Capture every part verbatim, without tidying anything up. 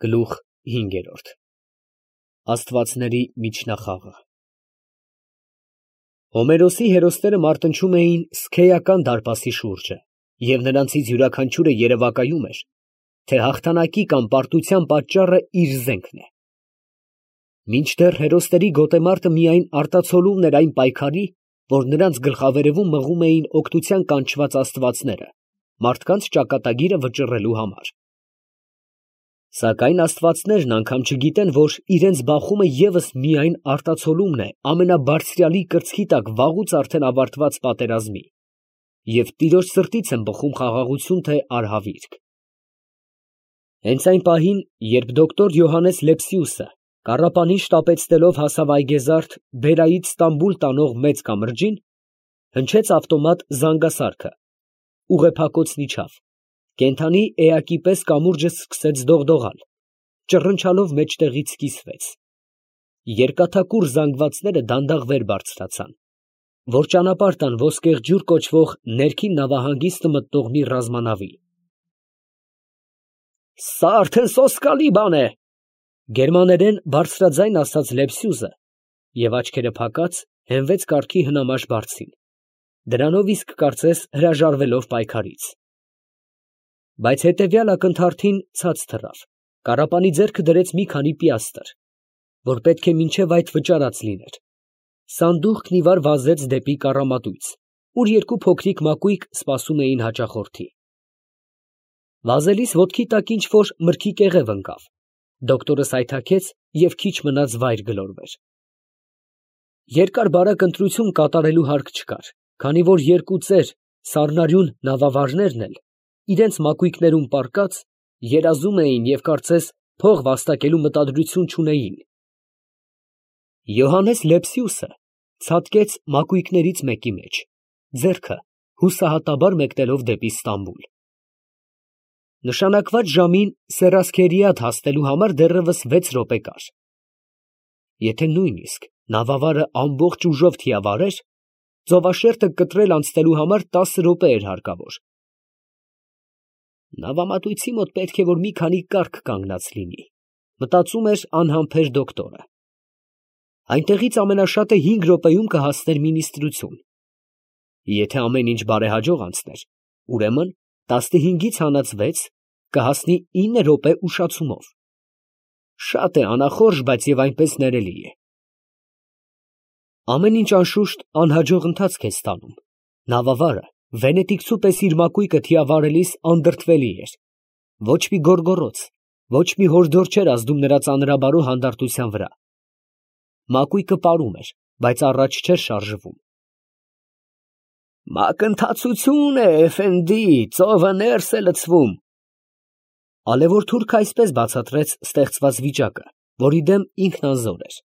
Գլուխ հինգերորդ Աստվածների միջնախաղը Հոմերոսի հերոսները մարտնչում էին Սքեյական դարպասի շուրջը, և նրանցից յուրաքանչյուրը երևակայում էր, թե հաղթանակի կամ պարտության պատճառը իր զենքն է։ Մինչդեռ հերոսների գոտեմարտը միայն արտացոլումն էր այն պայքարի, որ նրանց գլխավերևում մղում էին օգնության կանչված աստվածները, մարդկանց ճակատագիրը վճռելու համար։ Սակայն աստվածներն անգամ չգիտեն, որ իրենց բախումը ևս միայն արտացոլումն է ամենաբարձրյալի կրծքի տակ վաղուց արդեն ավարտված պատերազմի, և տիրոջ սրտից են բխում խաղաղություն թե արհավիրք։ Հենց այն պահին, երբ դոկտոր Յոհաննես Լեպսիուսը կառապանին շտապեցնելով հասավ Այգեզարդ Բերայից Ստամբուլ տանող մեծ կամրջին, հնչեց ավտոմատ զանգասարքը, ուղեփակոցն իջավ, կենդանի էակի պես կամուրջը սկսեց դողդողալ, ճռնչալով մեջտեղից կիսվեց, երկաթակուռ զանգվածները դանդաղ վեր բարձրացան, որ ճանապարհ տան Ոսկեղջյուր կոչվող ներքին նավահանգիստը մտնող մի ռազմանավի։ «Սա արդեն սոսկալի բան է, ֊ գերմաներեն բարձրաձայն ասաց Լեպսիուսը և աչքերը փակած հենվեց կառքի հնամաշ բարձին, դրանով իսկ կարծես հրաժարվելով պայքարից։ Բայց հետևյալ ակնթարթին ցած թռավ, կառապանի ձեռքը դրեց մի քանի պիաստր, որ պետք է մինչև այդ վճարած լիներ, սանդուղքն ի վար վազեց դեպի կառամատույց, ուր երկու փոքրիկ մակույկ սպասում էին հաճախորդի։ Վազելիս ոտքի տակ ինչ֊որ մրգի կեղև ընկավ, դոկտորը սայթաքեց և քիչ մնաց վայր գլորվեր։ Երկար֊բարակ ընտրություն կատարելու հարկ չկար, քանի որ երկու ծեր, սառնարյուն նավավարներն էլ, իրենց մակույկներում պառկած, երազում էին և կարծես փող վաստակելու մտադրություն չունեին։ Յոհաննես Լեպսիուսը ցատկեց մակույկներից մեկի մեջ, ձեռքը հուսահատաբար մեկնելով դեպի Ստամբուլ։ Նշանակված ժամին Սերասքերիադ հասնելու համար դեռևս վեց րոպե կար։ Եթե նույնիսկ նավավարը ամբողջ ուժով թիավարեր, ծովաշերտը կտրել անցնելու համար տասը րոպե էր հարկավոր։ Նավամատույցի մոտ պետք է որ մի քանի կառք կանգնած լինի, մտածում էր անհամբեր դոկտորը։ Այնտեղից ամենաշատը հինգ րոպեում կհասներ մինիստրություն։ Եթե ամեն ինչ բարեհաջող անցներ, ուրեմն տասնհինգից հանած վեց կհասնի ինը րոպե ուշացումով։ Շատ է անախորժ, բայց և այնպես ներելի է։ Ամեն ինչ անշուշտ անհաջող ընթացք է ստանում, նավավարը վենետիկցու պես իր մակույկը թիավարելիս անդրդվելի էր, ոչ մի գոռգոռոց, ոչ մի հորդոր չէր ազդում նրա ծանրաբարո հանդարտության վրա։ Մակույկը պարում էր, բայց առաջ չէր շարժվում։ «Մակընթացություն է, էֆենդի, ծովը ներս է լցվում», ֊ ալևոր թուրքը այսպես բացատրեց ստեղծված վիճակը, որի դեմ ինքն անզոր էր։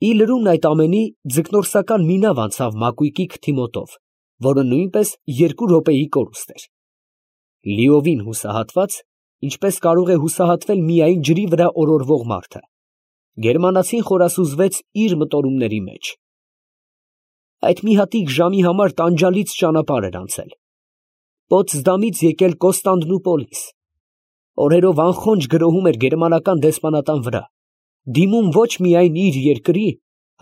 Ի լրումն այդ ամենի ձկնորսական մի նավ անցավ մակույկի քթի մոտով, որը նույնպես երկու րոպեի կորուստ էր։ Լիովին հուսահատված, ինչպես կարող է հուսահատվել միայն ջրի վրա օրորվող մարդը, գերմանացին խորասուզվեց իր մտորումների մեջ։ Այդ մի հատիկ ժամի համար տանջալից ճանապարհ էր անցել, Պոտսդամից եկել Կոստանդնուպոլիս, օրերով անխոնջ գրոհում էր գերմանական դեսպանատան վրա, դիմում ոչ միայն իր երկրի,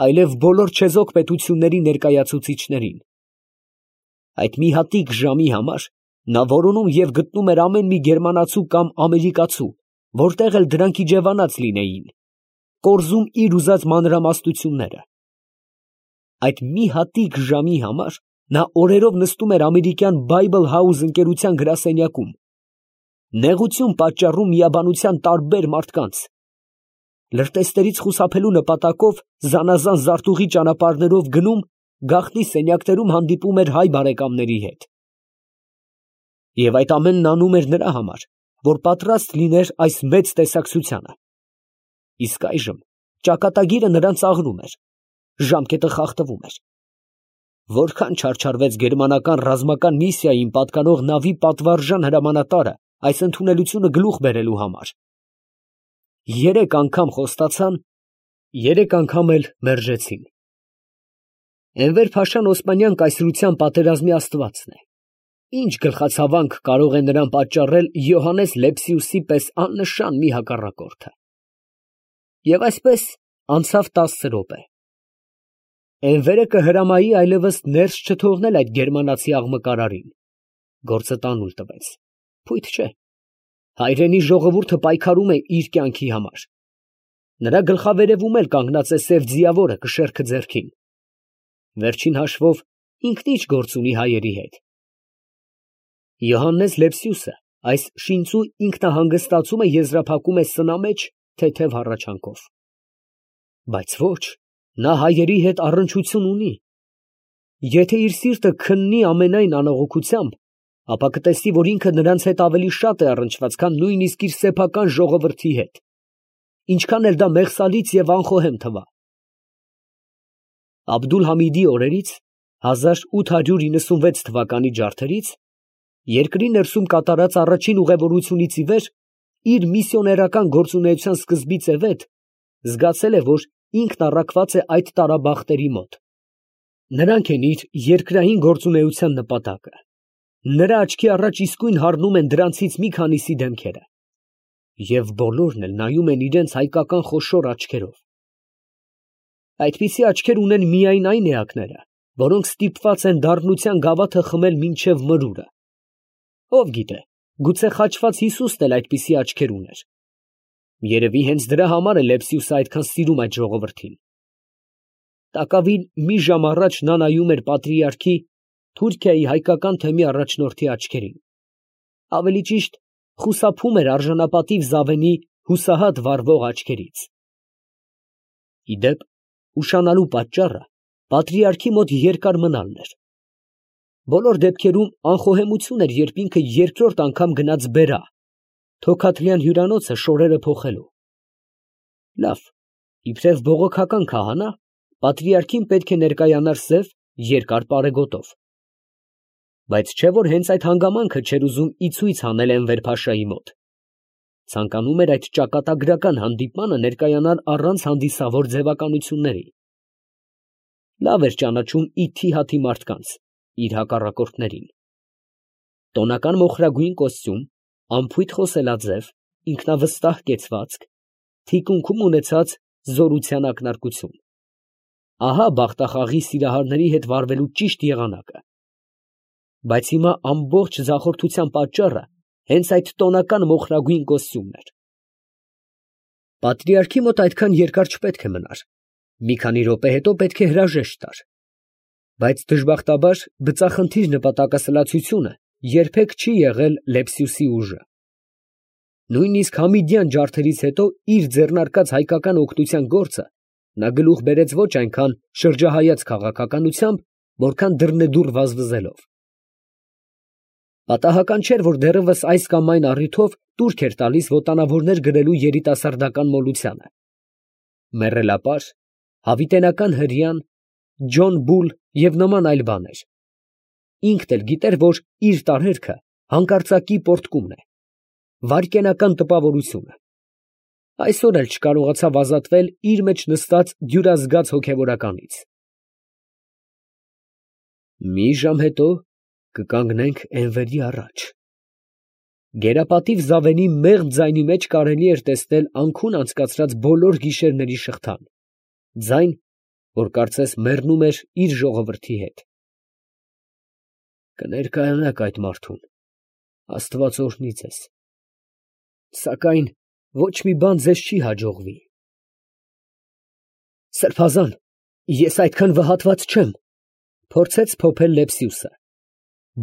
այլև բոլոր չեզոք պետությունների ներկայացուցիչներին։ Այդ մի հատիկ ժամի համար նա որոնում և գտնում էր ամեն մի գերմանացու կամ ամերիկացու, որտեղ էլ դրանք իջևանած լինեին, կորզում իր ուզած մանրամասնությունները։ Այդ մի հատիկ ժամի համար նա օրերով նստում էր ամերիկյան Bible House ընկերության գրասենյակում, նեղություն պատճառում միաբանության տարբեր մարդկանց, լրտեսներից խուսափելու նպատակով զանազան զարտուղի ճանապարհներով գնում, գաղտնի սենյակներում հանդիպում էր հայ բարեկամների հետ։ Եվ այդ ամենն անում էր նրա համար, որ պատրաստ լիներ այս մեծ տեսակցությանը։ Իսկ այժմ ճակատագիրը նրան ծաղրում էր, ժամկետը խախտվում էր։ Որքան չարչարվեց գերմանական ռազմական միսիային պատկանող նավի պատվարժան հրամանատարը այս ընդունելությունը գլուխ բերելու համար։ Երեք անգամ խոստացան, երեք անգամ էլ մերժեցին։ Էնվեր Փաշան Օսմանյան կայսրության պատերազմի աստվածն է, Ինչ գլխացավանք կարող է նրան պատճառել Յոհաննես Լեպսիուսի պես աննշան մի հակառակորդը։ Եվ այսպես անցավ տասը րոպե։ Էնվերը կհրամայի այլևս ներս չթողնել այդ գերմանացի աղմկարարին։ Գործը տանուլ տվեց։ Փույթ չէ։ Հայրենի ժողովուրդը պայքարում է իր կյանքի համար։ Նրա գլխավերևում էլ կանգնած է սև ձիավորը կշեռքը ձեռքին։ Վերջին հաշվով ինքն ինչ գործ ունի հայերի հետ։ Յոհաննես Լեպսիուսը այս շինծու ինքնահանգստացումը եզրափակում է սնամեջ թեթև հառաչանքով։ Բայց ոչ, նա հայերի հետ առնչություն ունի։ Եթե իր սիրտը քննի ամենայն անողոքությամբ, ապա կտեսի, որ ինքը նրանց հետ ավելի շատ է առնչված, քան նույնիսկ իր սեփական ժողովրդի հետ, ինչքան էլ դա մեղսալից և անխոհեմ թվա։ Աբդուլ֊Համիդի օրերից, հազար ութ հարյուր իննսունվեց թվականի ջարդերից, երկրի ներսում կատարած առաջին ուղևորությունից ի վեր, իր միսիոներական գործունեության սկզբից ի վեր, զգացել է, որ ինքն առաքված է այդ տարաբախտերի մոտ։ Նրանք են իր երկրային գործունեության նպատակը։ Նրա աչքի առաջ իսկույն հառնում են դրանցից մի քանիսի դեմքերը։ Եվ բոլորն էլ նայում են իրենց հայկական խոշոր աչքերով։ Այդպիսի աչքեր ունեն միայն այն էակները, որոնք ստիպված են դառնության գավաթը խմել մինչև մրուրը։ Ով գիտե, գուցե խաչված Հիսուսն էլ այդպիսի աչքեր ուներ։ Երևի հենց դրա համար է Լեպսիուսը այդքան սիրում այդ ժողովրդին։ Տակավին մի ժամ առաջ նա նայում էր պատրիարքի Թուրքիայի հայկական թեմի առաջնորդի աչքերին։ Ավելի ճիշտ, խուսափում էր արժանապատիվ Զավենի հուսահատ վառվող աչքերից։ Ի դեպ, ուշանալու պատճառը պատրիարքի մոտ երկար մնալն էր։ Բոլոր դեպքերում անխոհեմություն էր, երբ ինքը երկրորդ անգամ գնաց բերա, Թոքաթլյան հյուրանոցը շորերը փոխելու։ Լավ, իբրև բողոքական քահանա, պատրիարքին պետք է ներկայանար սև, երկար պարեգոտով։ Բայց չէ՞ որ հենց այդ հանգամանքը չէր ուզում ի ցույց հանել Էնվեր փաշայի մոտ։ Ցանկանում էր այդ ճակատագրական հանդիպմանը ներկայանալ առանց հանդիսավոր ձևականությունների։ Լավ էր ճանաչում ի թիհաթի մարդկանց, իր հակառակորդներին։ Տոնական մոխրագույն կոստյում, անփույթ խոսելաձև, ինքնավստահ կեցվածք, թիկունքում ունեցած զորության ակնարկություն։ Ահա բախտախաղի սիրահարների հետ վարվելու ճիշտ եղանակը։ Բայց հիմա ամբողջ ձախորդության պատճառը հենց այդ տոնական մոխրագույն կոստյումն էր։ Պատրիարքի մոտ այդքան երկար չպետք է մնար։ Մի քանի րոպե հետո պետք է հրաժեշտ տար։ Բայց դժբախտաբար բծախնդիր նպատակասլացությունը երբեք չի եղել Լեպսիուսի ուժը։ Նույնիսկ Համիդյան ջարդերից հետո իր ձեռնարկած հայկական օգնության գործը նա գլուխ բերեց ոչ այնքան շրջահայաց քաղաքականությամբ, որքան դռնեդուռ վազվզելով։ Պատահական չէր, որ դեռևս այս կամ այն առիթով տուրք էր տալիս ոտանավորներ գրելու երիտասարդական մոլությանը։ Մեռելապար, հավիտենական հրեան, Ջոն Բուլ և նման այլ բաներ։ Ինքն էլ գիտեր, որ իր տարերքը հանկարծակի պոռթկումն է, վայրկենական տպավորությունը։ Այսօր էլ չկարողացավ ազատվել իր մեջ նստած դյուրազգաց հոգևորականից։ Մի ժամ հետո կկանգնենք Էնվերի առաջ։ Գերապատիվ Զավենի մեղմ ձայնի մեջ կարելի էր տեսնել անքուն անցկացրած բոլոր գիշերների շղթան, ձայն, որ կարծես մեռնում էր իր ժողովրդի հետ։ Կներկայանաք այդ մարդուն, Աստված օրհնի ձեզ, սակայն ոչ մի բան ձեզ չի հաջողվի։ Սրբազան, ես այդքան վհատված չեմ, փորձեց փոփել Լեպսիուսը,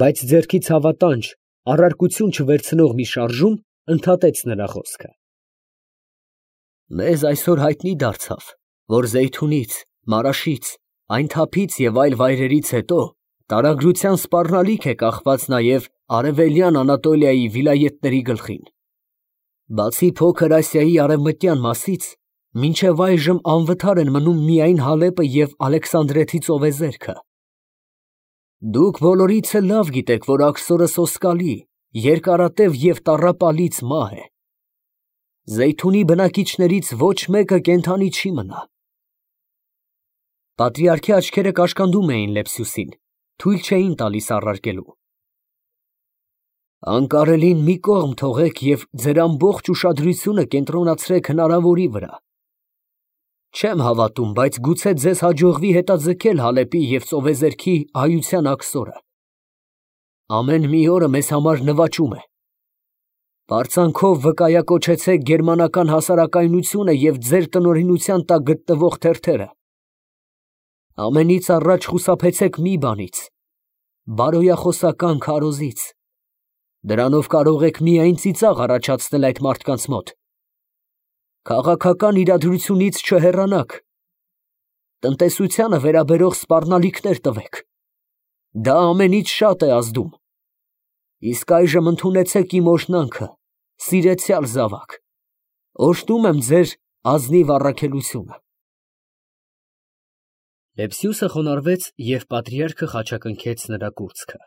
բայց ձեռքից հավատանջ, առարկություն չվերցնող մի շարժում ընդհատեց նրա խոսքը։ Մեզ այսօր հայտնի դարձավ, որ Զեյթունից, Մարաշից, այն թափից և այլ վայրերից հետո տարագրության սպառնալիք է կախված նաև արևելյան Անատոլիայի վիլայեթների գլխին։ Բացի Փոքր Ասիայի արևմտյան մասից, մինչև այժմ անվթար են մնում միայն Հալեպը և Ալեքսանդրեթի ծովեզերքը։ Դուք բոլորից էլ լավ գիտեք, որ աքսորը սոսկալի, երկարատև և տառապալից մահ է։ Զեյթունի բնակիչներից ոչ մեկը կենդանի չի մնա։ Պատրիարքի աչքերը կաշկանդում էին Լեպսիուսին, թույլ չէին տալիս առարկելու։ Անկարելին մի կողմ թողեք և ձեր ամբողջ ուշադրությունը կենտրոնացրեք հնարավորի վրա։ Չեմ հավատում, բայց գուցե ձեզ հաջողվի հետաձգել Հալեպի և Ծովեզերքի հայության աքսորը։ Ամեն մի օրը մեզ համար նվաճում է։ Պարծանքով վկայակոչեցեք գերմանական հասարակայնությունը և ձեր տնօրինության տակ գտնվող թերթերը։ Ամենից առաջ խուսափեցեք մի բանից՝ բարոյախոսական քարոզից։ Դրանով կարող եք միայն ծիծաղ առաջացնել այդ մարդկանց մոտ։ Քաղաքական իրադրությունից չհեռանաք։ Տնտեսությանը վերաբերող սպառնալիքներ տվեք։ Դա ամենից շատ է ազդում։ Իսկ այժմ ընդունեցեք իմ օրհնանքը, սիրեցյալ զավակ։ Օրհնում եմ ձեր ազնիվ առաքելությունը։ Լեպսիուսը խոնարհվեց և պատրիարքը խաչակնքեց նրա կուրծքը։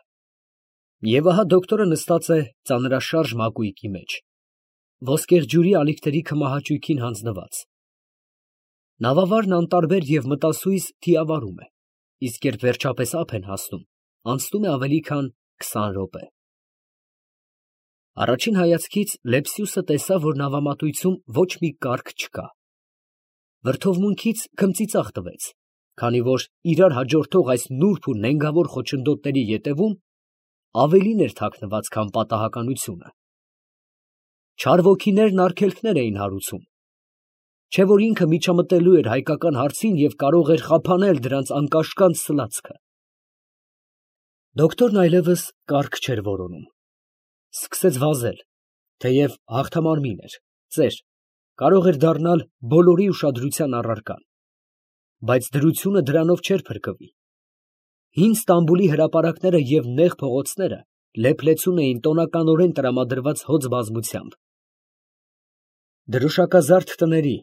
Եվ ահա դոկտորը նստած է ծանրաշարժ մակույկի մեջ, ոսկեղ ջուրի ալիքների քմահաճույքին հանձնված։ Նավավարն անտարբեր և մտասույզ թիավարում է, իսկ երբ վերջապես ափ են հասնում, անցնում է ավելի քան քսան րոպե։ Առաջին հայացքից Լեպսիուսը տեսավ, որ նավամատույցում ոչ մի կառք չկա։ Վրդովմունքից քմծիծաղ տվեց, քանի որ իրար հաջորդող այս նուրբ ու նենգավոր խոչընդոտների ետևում ավելին էր թաքնված, քան պատահականությունը։ Չար ոգիներն արգելքներ էին հարուցում, չէ՞ որ ինքը միջամտելու էր հայկական հարցին և կարող էր խափանել դրանց անկաշկանդ սլացքը։ Դոկտորն այլևս կառք չէր որոնում։ Սկսեց վազել, թեև հաղթամարմին էր, ծեր, կարող էր դառնալ բոլորի ուշադրության առարկան, բայց դրությունը դրանով չէր փրկվի։ Հին Ստամբուլի հրապարակները և նեղ փողոցները լեփլեցուն էին տոնականորեն տրամադրված հոծ բազմությամբ։ Դրոշակազարդ տների,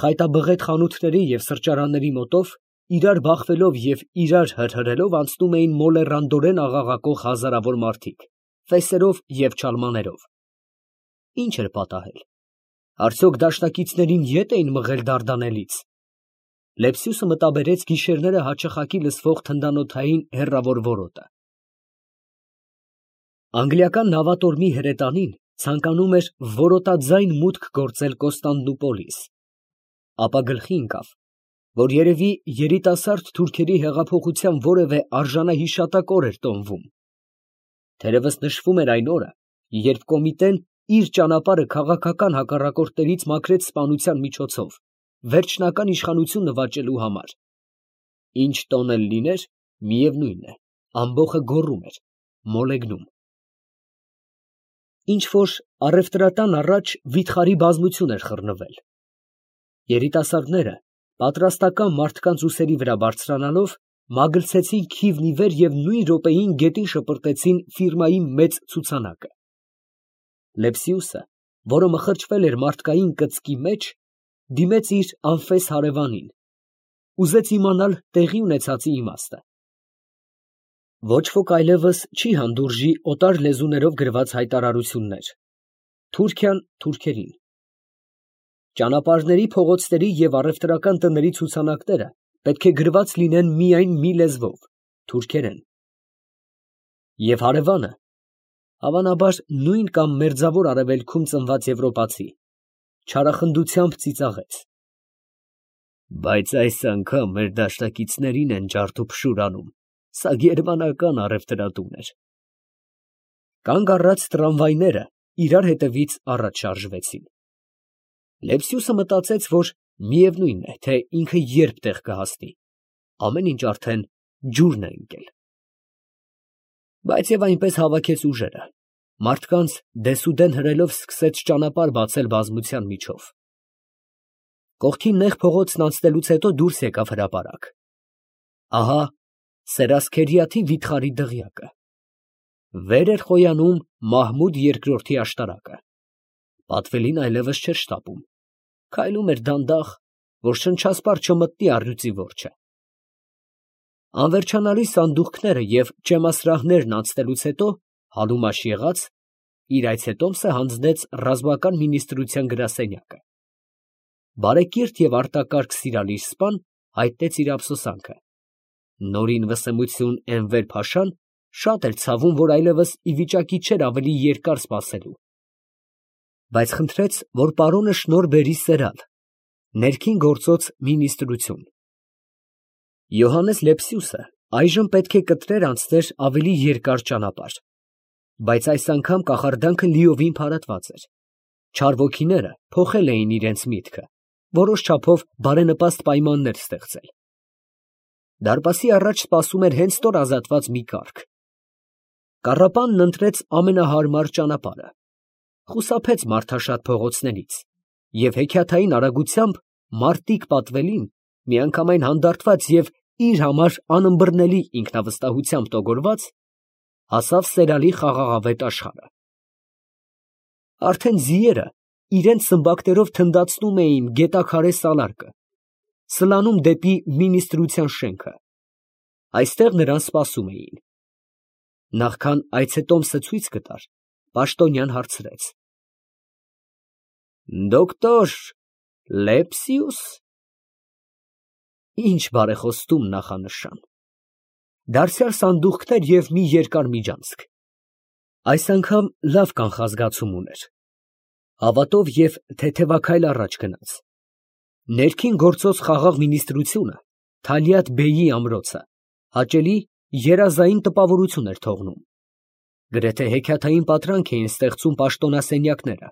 խայտաբղետ խանութների և սրճարանների մոտով, իրար բախվելով և իրար հրհրելով անցնում էին մոլեռանդորեն աղաղակող հազարավոր մարդիկ, ֆեսերով և չալմաներով։ Ի՞նչ էր պատահել։ Արդյոք դաշնակիցներին ետ էին մղել Դարդանելից։ Լեպսիուսը մտաբերեց գիշերները հաճախակի լսվող թնդանոթային հեռավոր որոտը։ Անգլիական նավատորմի հրետանին ցանկանում էր որոտաձայն մուտք գործել Կոստանդնուպոլիս, ապա գլխի ընկավ, որ երևի երիտասարդ թուրքերի հեղափոխության որևէ արժանահիշատակ օր էր տոնվում։ Թերևս նշվում էր այն օրը, երբ կոմիտեն իր ճանապարհը քաղաքական հակառակորդներից մաքրեց սպանության միջոցով, վերջնական իշխանություն նվաճելու համար։ Ինչ տոն էլ լիներ, միևնույն է, ամբոխը գոռում էր, մոլեգնում։ Ինչ֊որ առևտրատան առաջ վիթխարի բազմություն էր խռնվել։ Երիտասարդները, պատրաստական մարդկանց ուսերի վրա բարձրանալով, մագլցեցին քիվն ի վեր և նույն րոպեին գետին շպրտեցին ֆիրմայի մեծ ցուցանակը։ Լեպսիուսը, որը մխրճվել էր մարդկային կծկի մեջ, դիմեց իր անֆես հարևանին, ուզեց իմանալ տեղի ունեցածի իմաստը։ Ոչ ոք այլևս չի հանդուրժի օտար լեզուներով գրված հայտարարություններ։ Թուրքիան թուրքերին։ Ճանապարհների, փողոցների և առևտրական տների ցուցանակները պետք է գրված լինեն միայն մի լեզվով, թուրքերեն։ Եվ հարևանը, հավանաբար նույն կամ մերձավոր արևելքում ծնված եվրոպացի, չարախնդությամբ ծիծաղեց. Բայց այս անգամ մեր դաշնակիցներին են ջարդուփշուր անում, սա գերմանական առևտրատուն էր։ Կանգ առած տրամվայները իրար հետևից առաջ շարժվեցին։ Լեպսիուսը մտածեց, որ միևնույն է, թե ինքը երբ տեղ կհասնի, ամեն ինչ արդեն ջուրն է ընկել։ Բայց և այնպես հավաքեց ուժերը, մարդկանց դեսուդեն հրելով սկսեց ճանապարհ բացել բազմության միջով։ Կողքին նեղ փողոցն անցնելուց հետո դուրս եկավ հրապարակ։ Ահա Սերասքերիաթի վիթխարի դղյակը։ Վեր էր խոյանում Մահմուդ երկրորդի աշտարակը։ Պատվելին այլևս չէր շտապում, քայլում էր դանդաղ, որ շնչասպառ չմտնի առյուծի որջը։ Անվերջանալի սանդուղքները և ճեմասրահներն անցնելուց հետո հալումաշ եղած, իր այցետոմսը հանձնեց ռազմական մինիստրության գրասենյակը։ Բարեկիրթ և արտակարգ սիրալիր սպան հայտնեց իր ափսոսանքը։ Նորին վսեմություն Էնվեր֊փաշան Շատ էր ցավում, որ այլևս ի վիճակի չէր ավելի երկար սպասելու, բայց խնդրեց, որ պարոնը շնորհ բերի սերալ, ներքին գործոց մինիստրություն։ Յոհաննես Լեպսիուսը այժմ պետք է կտրեր անցներ ավելի երկար ճանապարհ, բայց այս անգամ կախարդանքը լիովին փարատված էր։ Չար ոգիները փոխել էին իրենց միտքը, որոշ չափով բարենպաստ պայմաններ ստեղծել։ Դարպասի առաջ սպասում էր հենց նոր ազատված մի կառք։ Կառապանն ընտրեց ամենահարմար ճանապարհը, խուսափեց մարդաշատ փողոցներից և հեքիաթային արագությամբ մարտիկ պատվելին միանգամայն հանդարտված և իր համար անըմբռնելի ինքնավստահությամբ տոգորված, հասավ սերալի խաղաղավետ աշխարհը։ Արդեն ձիերը իրենց սմբակներով թնդացնում էին գետաքարե սալարկը, սլանում դեպի մինիստրության շենքը։ Այստեղ նրան սպասում էին։ Նախքան այցետոմսը ցույց կտար, պաշտոնյան հարցրեց. «Դոկտոր Լեպսիուս»։ Ինչ բարեխոստում նախանշան։ Դարձյալ սանդուղքներ և մի երկար միջանցք։ Այս անգամ լավ կանխազգացում ուներ։ Հավատով և թեթևաքայլ առաջ գնաց։ Ներքին գործոց խաղաղ մինիստրությունը, Թալիաթ֊բեյի ամրոցը, հաճելի երազային տպավորություն էր թողնում։ Գրեթե հեքիաթային պատրանք էին ստեղծում պաշտոնասենյակները,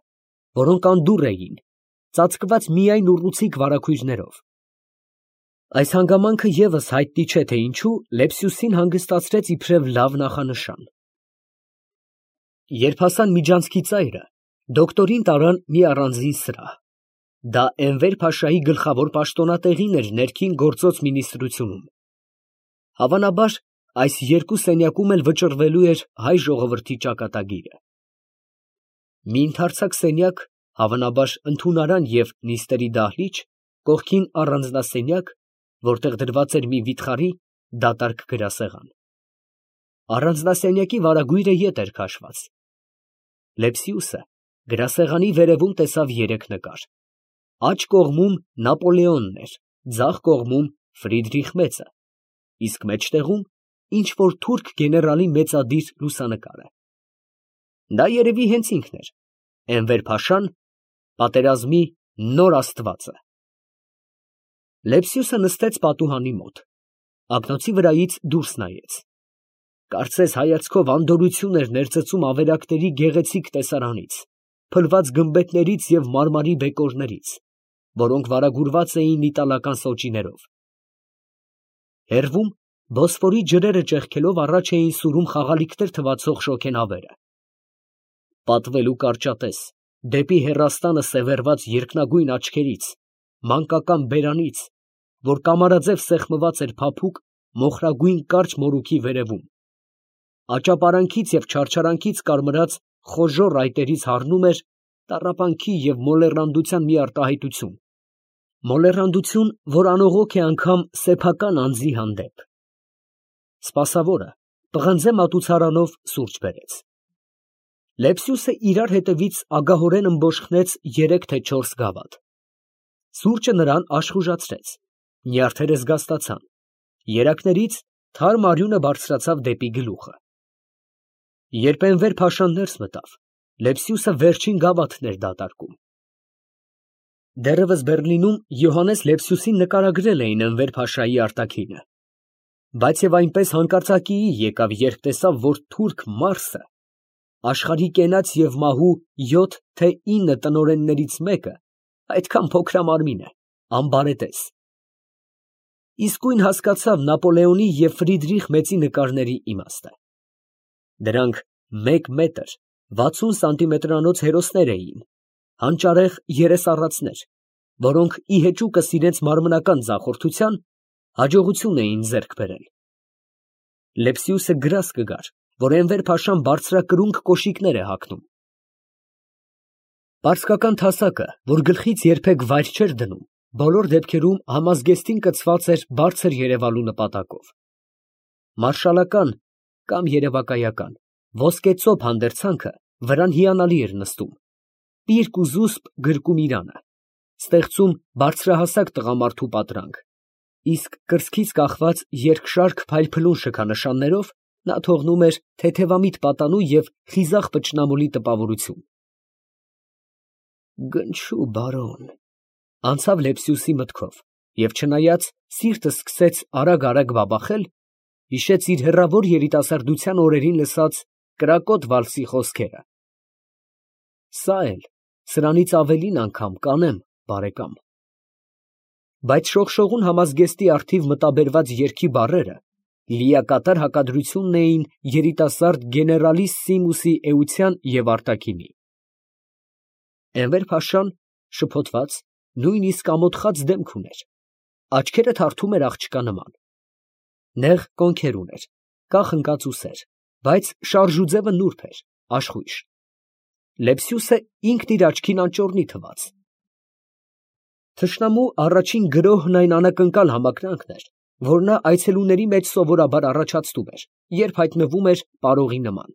որոնք անդուռ էին, ծածկված միայն ուռուցիկ վարագույրներով։ Այս հանգամանքը ևս հայտնի չէ, թե ինչու Լեպսիուսին հանգստացրեց իբրև լավ նախանշան։ Երբ հասան միջանցքի ծայրը, դոկտորին տարան մի առանձին սրահ։ Դա Էնվեր֊փաշայի գլխավոր պաշտոնատեղին էր ներքին գործոց մինիստրությունում։ Հավանաբար, այս երկու սենյակում էլ վճռվելու էր հայ ժողովրդի ճակատագիրը։ Մի ընդարձակ սենյակ, հավանաբար ընդունարան և նիստերի դահլիճ, կողքին առանձնասենյակ, որտեղ դրված էր մի վիթխարի, դատարկ գրասեղան։ Առանձնասենյակի վարագույրը ետ էր քաշված։ Լեպսիուսը գրասեղանի վերևում տեսավ երեք նկար։ Աջ կողմում Նապոլեոնն էր, ձախ կողմում Ֆրիդրիխ Մեծը, իսկ մեջտեղում ինչ֊որ թուրք գեներալի մեծադիր լուսանկարը։ Դա երևի հենց ինքն էր, Էնվեր֊փաշան, պատերազմի նոր աստվածը։ Լեպսիուսը նստեց պատուհանի մոտ, ակնոցի վրայից դուրս նայեց։ Կարծես հայացքով անդորրություն էր ներծծում ավերակների գեղեցիկ տեսարանից, փլված գմբեթներից և մարմարի բեկորներից, որոնք վարագուրված էին իտալական սոճիներով։ Հեռվում, Բոսֆորի ջրերը ճեղքելով, առաջ էին սուրում խաղալիքներ թվացող շոգենավերը։ Պատվելու կարճատես, դեպի հեռաստանը սևեռված երկնագույն աչքերից, մանկական բերանից, որ կամարաձև սեղմված էր փափուկ, մոխրագույն կարճ մորուքի վերևում, աճապարանքից և չարչարանքից կարմրած խոժոռ այտերից հառնում էր տառապանքի և մոլեռանդության մի արտահայտություն, մոլեռանդություն, որ անողոք է անգամ սեփական անձի հանդեպ։ Սպասավորը պղնձե մատուցարանով սուրճ բերեց։ Լեպսիուսը իրար հետևից ագահորեն ըմբոշխնեց երեք թե չորս գավաթ։ Սուրճը նրան աշխուժացրեց, նյարդերը զգաստացան, երակներից թարմ արյունը բարձրացավ դեպի գլուխը։ Երբ Էնվեր֊փաշան ներս մտավ, Լեպսիուսը վերջին գավաթն էր դատարկում։ Դեռևս Բեռլինում Յոհաննես Լեպսիուսին նկարագրել էին Էնվեր֊փաշայի արտաքինը, բայց և այնպես հանկարծակիի եկավ, երբ տեսավ, որ թուրք մարսը, աշխարհի կենաց և մահու յոթ թե ինը տնօրեններից մեկը, այդքան փոքրամարմին է, անբարետես։ Իսկույն հասկացավ Նապոլեոնի և Ֆրիդրիխ Մեծի նկարների իմաստը։ Դրանք մեկ մետր վաթսուն սանտիմետրանոց հերոսներ էին, հանճարեղ երեսառածներ, որոնք ի հեճուկս իրենց մարմնական ձախորդության հաջողություն էին ձեռք բերել։ Լեպսիուսը գրազ կգար, որ Էնվեր֊փաշան բարձրակրունկ կոշիկներ է հագնում։ Պարսկական թասակը, որ գլխից երբեք վայր չէր դնում, բոլոր դեպքերում համազգեստին կցված էր բարձր երևալու նպատակով։ Մարշալական կամ երևակայական ոսկեծոփ հանդերձանքը վրան հիանալի էր նստում, պիրկ ու զուսպ գրկում իրանը, ստեղծում բարձրահասակ տղամարդու պատրանք, իսկ կրծքից կախված երկշարք փայլփլուն շքանշաններով Նա թողնում էր թեթևամիտ պատանու և խիզախ պճնամոլի տպավորություն։ «Գնչու բարոն», անցավ Լեպսիուսի մտքով, և չնայած սիրտը սկսեց արագ֊արագ բաբախել, հիշեց իր հեռավոր երիտասարդության օրերին լսած կրակոտ վալսի խոսքերը. «Սա էլ, սրանից ավելին անգամ կանեմ, բարեկամ»… Բայց շողշողուն համազգեստի առթիվ մտաբերված երգի բառերը լիակատար հակադրությունն էին երիտասարդ գեներալիս Սիմուսի էության և արտաքինի։ Էնվեր֊փաշան շփոթված, նույնիսկ ամոթխած դեմք ուներ, աչքերը թարթում էր աղջկա նման, նեղ կոնքեր ուներ, կախնկած ուսեր, բայց շարժուձևը նուրբ էր, աշխույժ։ Լեպսիուսը ինքն իր աչքին անճոռնի թվաց։ Թշնամու առաջին գրոհն այն անակնկալ համակրանքն էր, որ նա այցելուների մեջ սովորաբար առաջացնում էր, երբ հայտնվում էր պարողի նման։